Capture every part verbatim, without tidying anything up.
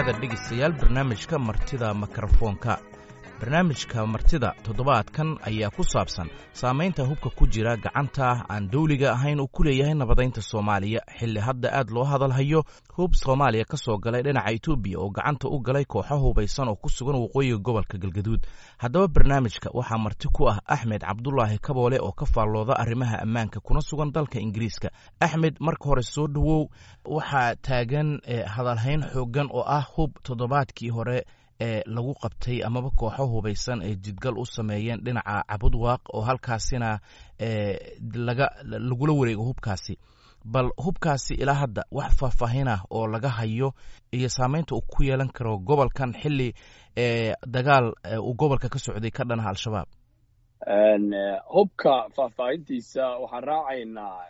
dhowaada dhegaystayaal barnaamijka Martida Mikrofoonka. Barnaamijka martida toddobaadkan ayaa ku saabsan saamaynta hubka ku jira gacanta aan dawliga ahayn uu ku leeyahay nabadaynta Soomaaliya, xilli hadda aad loo hadalhayo hub Soomaaliya ka soo galay dhinaca Itoobiya oo gacanta u galay kooxo hubaysan oo ku sugan waqooyiga gobolka Galgaduud. Haddaba barnaamijka waxaa marti ku ah Axmed Cabdulaahi Kaboole oo ka faallooda arrimaha ammaanka kuna sugan dalka Ingiriiska. Axmed, marka hore soo dhowow. Waxaa taagan hadalhayn xooggan oo ah hub toddobaadkii hore ee lagu qabtay amaba kooxo hubaysan ay jidgal u sameeyeen dhinaca Cabudwaaq oo halkaasina laga lagula wareego hubkaasi. Bal hubkaasi ilaa hadda wax faahfaahin ah oo laga hayo iyo saameynta uu ku yeelan karo gobolkan xilli dagaal uu gobolka ka socday ka dhanaha Al-Shabaab? Hubka faahfaahintiisa waxaan raacaynaa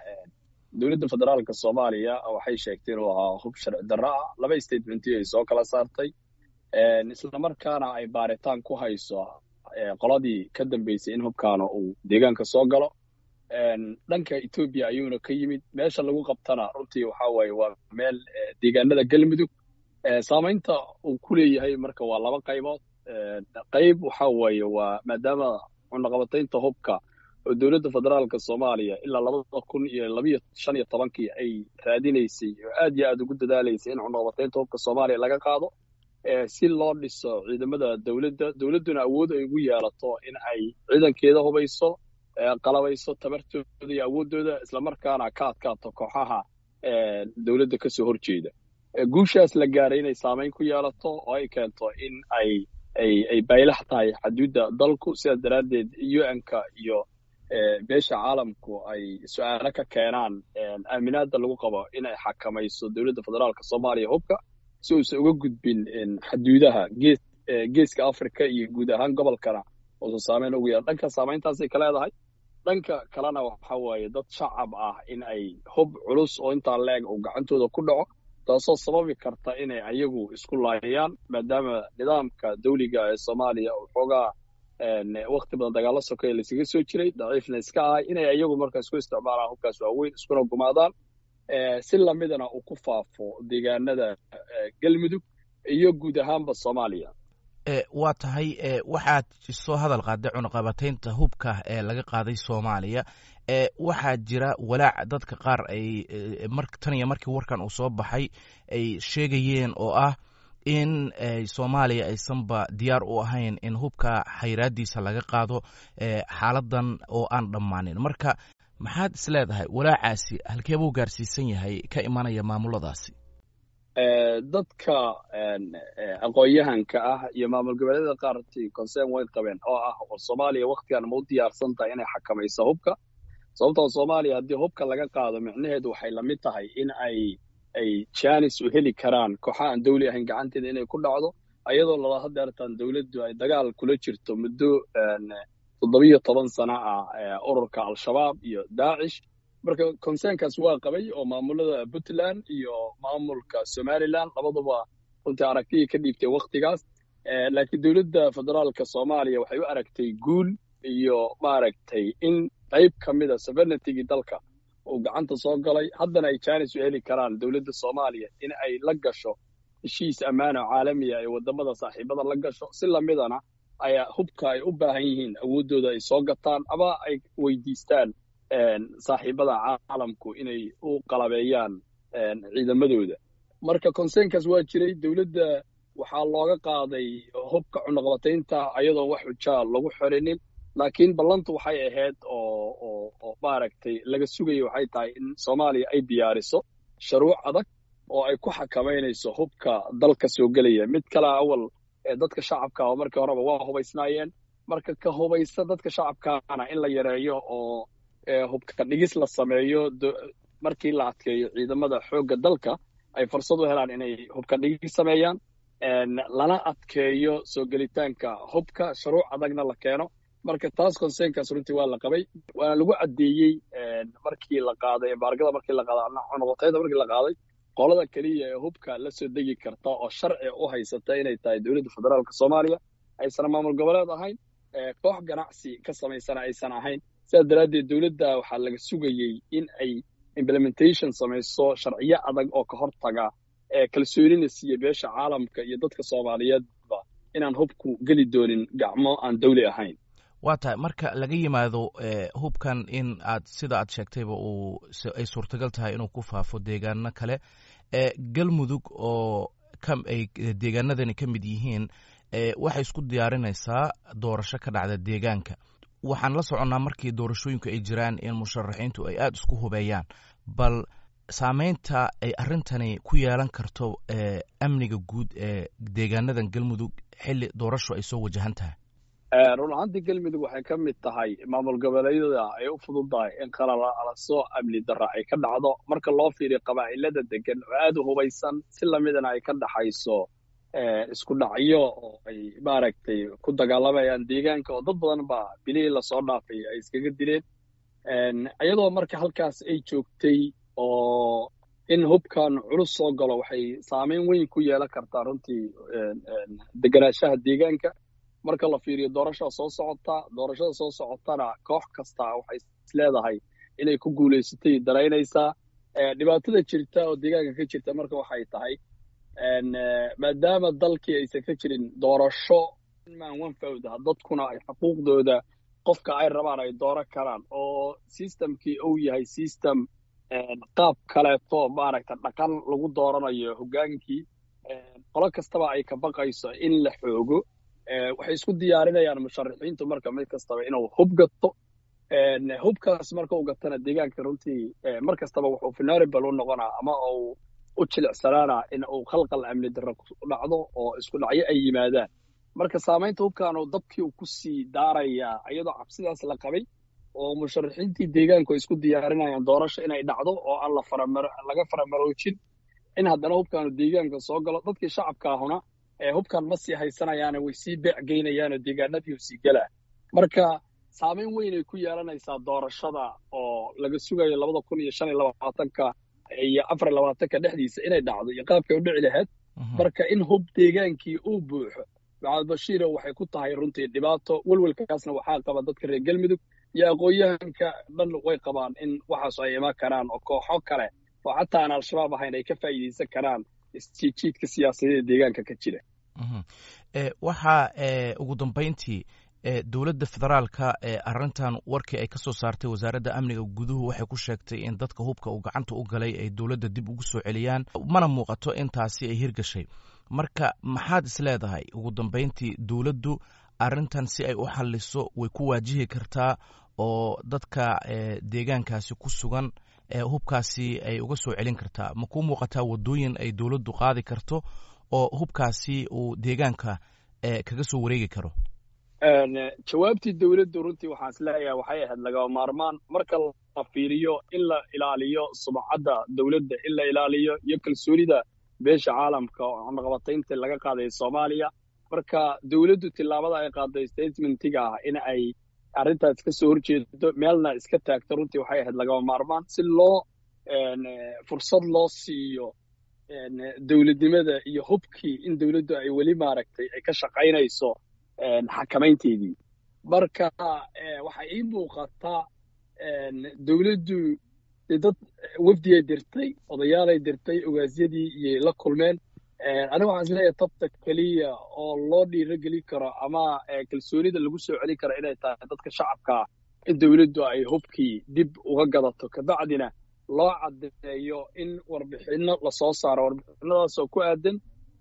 dowladda federaalka Soomaaliya. Waxay sheegtay inuu ahaa hub sharci darro ah, laba statementi ay soo kala saartay, islamarkaana ay baaritaan ku hayso qoladii ka dambeysay in hubkaana uu deegaanka soo galo. Dhanka Etoobiya ayuuna ka yimid. Meesha lagu qabtana runtii waxa waaye waa meel deegaanada Galmudug. Saamaynta uu ku leeyahay marka waa laba qaybood. Qayb waxa waaye waa maadaama cunaqabataynta hubka oo dowladda federaalka Soomaaliya ilaa labada kun iyo labiyo shan iyo tobankii ay raadinaysay oo aad iyo aad ugu dadaalaysay in cunaqabataynta hubka Soomaaliya laga qaado si loo dhiso ciidamada dowladda, dowladduna awood ay ugu yeelato in ay ciidankeeda hubayso, qalabayso tabartooda iyo awooddooda, islamarkaana ka adkaato kooxaha dowladda kasoo horjeeda. Guushaas la gaaray inay saamayn ku yeelato oo ay keento in ay ay ay baylax tahay xaduudda dalku. Sidaas daraaddeed U N-ka iyo beesha caalamku ay su-aalo ka keenaan aaminaadda lagu qabo in ay xakamayso dowladda federaalka Soomaaliya hubka si uusan uga gudbin xaduudaha gees geeska Africa iyo guud ahaan gobolkana uusan saameyn ugu yeelan. Dhanka saamayntaasay ka leedahay. Dhanka kalena waxa waaye dad shacab ah in ay hub culus oo intaa leeg uu gacantooda ku dhaco, taasoo sababi karta inay ayagu isku laayaan, maadaama nidaamka dawliga ee Soomaaliya uu xoogaa wakti badan dagaalo sokeeye laysaga soo jiray, daciifna iska ahay, inay ayagu marka isku isticmaalaan hubkaas waaweyn iskuna gumaadaan, si lamidana uu ku faafo deegaanada Galmudug iyo guud ahaanba Soomaaliya. Waa tahay. Waxaad soo hadal qaaday cunaqabataynta hubka ee laga qaaday Soomaaliya. Waxaa jira walaac dadka qaar ay tan iyo markii warkan uu soo baxay ay sheegayeen oo ah in Soomaaliya aysanba diyaar u ahayn in hubka xayraadiisa laga qaado xaaladan oo aan dhammaanin. Marka maxaad is leedahay walaacaasi halkee buu gaarsiisan yahay ka imanaya maamuladaasi? Dadka aqoon-yahanka ah iyo maamul goboleedyada qaartii concern way qabeen oo ah war Soomaaliya waktigan ma u diyaarsan tahay inay xakamayso hubka? Sababtoo Soomaaliya haddii hubka laga qaado, micnaheedu waxay lamid tahay in ay ay janis u heli karaan kooxa aan dawli ahayn gacanteeda inay ku dhacdo, ayadoo lala hadeertaan dowladdu ay dagaal kula jirto muddo toddobiyo toban sano ah ururka Al-Shabaab iyo Daacish. Marka concernkaas waa qabay oo maamulada Puntland iyo maamulka Somaliland labaduba runtii aragtiyay ka dhiibtay waktigaas. Laakiin dowladda federaalka Soomaaliya waxay u aragtay guul iyo maaragtay in qayb ka mida sovereignitygii dalka uu gacanta soo galay, haddana ay janis u heli karaan dowladda Soomaaliya in ay la gasho heshiis ammaan oo caalamiya ay wadamada saaxiibada la gasho, si lamidana ayaa hubka ay u baahan yihiin awooddooda ay soo gataan ama ay weydiistaan saaxiibada caalamku inay u qalabeeyaan ciidamadooda. Marka concernkaas waa jiray. Dowladda waxaa looga qaaday hubka cunaqabataynta ayadoon wax xujaa lagu xorinin, laakiin ballantu waxay ahayd oo oo oo maaragtay laga sugayay waxay tahay in Soomaaliya ay diyaariso shuruuc adag oo ay ku xakamaynayso hubka dalka soo gelaya. Mid kale, awal dadka shacabka oo markii horeba waa hubaysnaayeen, marka ka hubaysa dadka shacabkaana in la yareeyo oo hubka dhigis la sameeyo markii la adkeeyo ciidamada xoogga dalka ay fursad u helaan inay hubka dhigis sameeyaan, lana adkeeyo soo gelitaanka hubka, shuruuc adagna la keeno. Marka taas concernkaas runtii waa la qabay, waana lagu caddeeyey markii la qaaday embargoda, markii la qaaday cunaqabataynta, markii la qaaday qolada keliya ee hubka la soo degi karta oo sharci u haysata inay tahay dowladda federaalka Soomaaliya, aysan maamul goboleed ahayn, koox ganacsi ka samaysana aysan ahayn. Sidaas daraaddeed dowladda waxaa laga sugayey in ay implementation samayso sharciyo adag oo ka hortaga Kalsoonina siiya beesha caalamka iyo dadka Soomaaliyeedba inaan hubku geli doonin gacmo aan dawli ahayn. Waa tahay. Marka laga yimaado hubkan in aad sida aad sheegtayba uu ay suurtagal tahay inuu ku faafo deegaano kale, Galmudug oo ay deegaanadani ka mid yihiin waxay isku diyaarinaysaa doorasho ka dhacda deegaanka. Waxaan la soconnaa markii doorashooyinku ay jiraan in musharaxiintu ay aada isku hubeeyaan. Bal saameynta ay arrintani ku yeelan karto amniga guud ee deegaanadan Galmudug xilli doorasho ay soo wajahan tahay? Run ahaantii, Galmudug waxay ka mid tahay maamul goboleedyada ay u fududahay in qalalaso amni darra ay ka dhacdo, marka loo fiiriyo qabaa'ilada degan oo aada u hubaysan, si lamidana ay ka dhaxayso isku dhacyo oo ay maaragtay ku dagaalamayaan deegaanka, oo dad badan baa bilihii lasoo dhaafay ay iskaga dileen. Iyadoo marka halkaas ay joogtay oo in hubkan culus soo galo, waxay saameyn weyn ku yeelan kartaa runtii deganaanshaha deegaanka. Marka la fiiriyo doorashada soo socota, doorashada soo socotana koox kasta waxay isleedahay inay ku guulaysatay daraynaysaa. Dhibaatada jirta oo deegaanka ka jirta marka waxay tahay, maadaama dalkii aysan ka jirin doorasho man one vote, dadkuna ay xuquuqdooda qofka ay rabaan ay dooran karaan, oo systemkii uu yahay system qaab kaleeto maaragta dhaqan lagu dooranayo hoggaankii, qolo kastaba ay ka baqayso in la xoogo. Waxay isku diyaarinayaan musharaxiintu marka mid kastaba inuu hub gato. Hubkaas marka uu gatana, deegaanka runtii mar kastaba wuxuu vulnerable u noqonaa ama uu u jilicsanaana in uu khalqal amni darro ku dhacdo oo isku dhacyo ay yimaadaan. Marka saamaynta hubkan uu dabkii uu ku sii daarayaa, iyadoo cabsidaas la qabay oo musharaxiintii deegaanku ay isku diyaarinayaan doorasho inay dhacdo oo aan la faramar laga faramaroojin, in haddana hubkaanu deegaanka soo galo. Dadkii shacabka ahuna hubkan ma sii haysanayaane, way sii beec geynayaanoo deegaanadii u sii gelaa. Marka saameyn weyn ay ku yeelanaysaa doorashada oo laga sugayo labada kun iyo shan iyo labaatanka iyo afar iyo labaatanka dhexdiisa inay dhacdo iyo qaabkay u dhici lahayd. Marka in hub deegaankii uu buuxo, Maxamed Bashiiro, waxay ku tahay runtii dhibaato. Welwelkaasna waxaa qaba dadka reer Galmudug iyo aqoon-yahanka dhan, way qabaan in waxaas ay iman karaan oo kooxo kale oo xataa aan Al-Shabaab ahayn ay ka faa'iidaysan karaan isjiidjiidka siyaasadeed deegaanka ka jira. Waxaa ugu dambeyntii, dowladda federaalka arrintan warkii ay ka soo saartay wasaaradda amniga guduhu waxay ku sheegtay in dadka hubka uu gacanta u galay ay dowladda dib ugu soo celiyaan, mana muuqato in taasi ay hirgashay. Marka maxaad is leedahay ugu dambeyntii dowladdu arrintan si ay u xalliso way ku waajihi kartaa oo dadka deegaankaasi ku sugan hubkaasi ay uga soo celin kartaa? Ma kuu muuqataa waddooyin ay dowladdu qaadi karto oo hubkaasi uu deegaanka kaga soo wareegi karo? Jawaabtii dowladdu runtii waxaan is leeyahay waxay ahayd lagama maarmaan, marka la fiiriyo in la ilaaliyo sumcadda dowladda, in la ilaaliyo iyo kalsoonida beesha caalamka oo cunaqabataynta laga qaaday Soomaaliya. Marka dowladdu tillaabada ay qaaday, statementiga ah in ay arrintaas ka soo horjeedo meelna iska taagto, runtii waxay ahayd lagama maarmaan si loo fursad loo siiyo dowladnimada iyo hubkii in dowladdu ay weli maaragtay ay ka shaqaynayso xakamaynteedii. Marka waxaa ii muuqataa dowladdu dad wafdiyay dirtay, odayaalay dirtay, ogaasyadii iyay la kulmeen. Aniga waxaan isleeyahay tabta keliya oo loo dhiiro gelin karo ama kalsoonida lagu soo celin karo inay tahay dadka shacabkaa in dowladdu ay hubkii dib uga gadato, kabacdina loo caddeeyo in warbixinno lasoo saaro, warbixinadaasoo ku aadan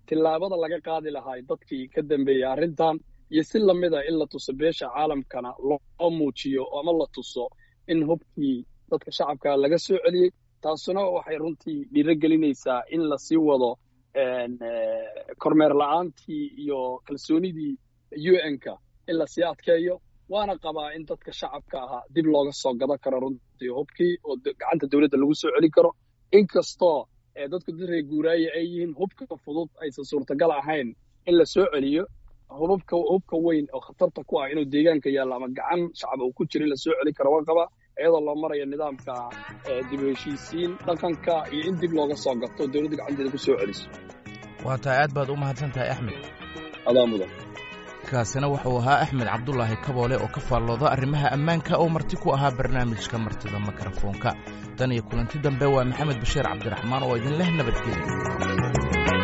tillaabada laga qaadi lahaa dadkii ka dambeeyey arrintan, iyo si lamida in la tuso beesha caalamkana loo muujiyo ama la tuso in hubkii dadka shacabka laga soo celiyey. Taasuna waxay runtii dhiiro gelinaysaa in lasii wado kormeer la-aantii iyo kalsoonidii U N-ka in lasii adkeeyo. Waana qabaa in dadka shacabka ahaa dib looga soo gadan karo runtii hubkii oo gacanta dowladda lagu soo celin karo, inkastoo dadku dad reer guuraaye ay yihiin, hubka fudud aysan suurtagal ahayn in la soo celiyo. Hubabka hubka weyn oo khatarta ku ah inuu deegaanka yaallo ama gacan shacab uu ku jiro in la soo celin karo waan qabaa, iyadoo loo marayo nidaamka dib u heshiisiin dhaqanka iyo in dib looga soo gato, dowladda gacanteeda ku soo celiso. Waa tahay, aad baad u mahadsan tahay, Axmed. Adaa mudan. Kaasina wuxuu ahaa Axmed Cabdulaahi Kaboole oo ka faallooda arrimaha ammaanka oo marti ku ahaa barnaamijka Martida Mikrofoonka. Tan iyo kulanti dambe, waa Maxamed Bashiir Cabdiraxmaan oo idin leh nabadgelya.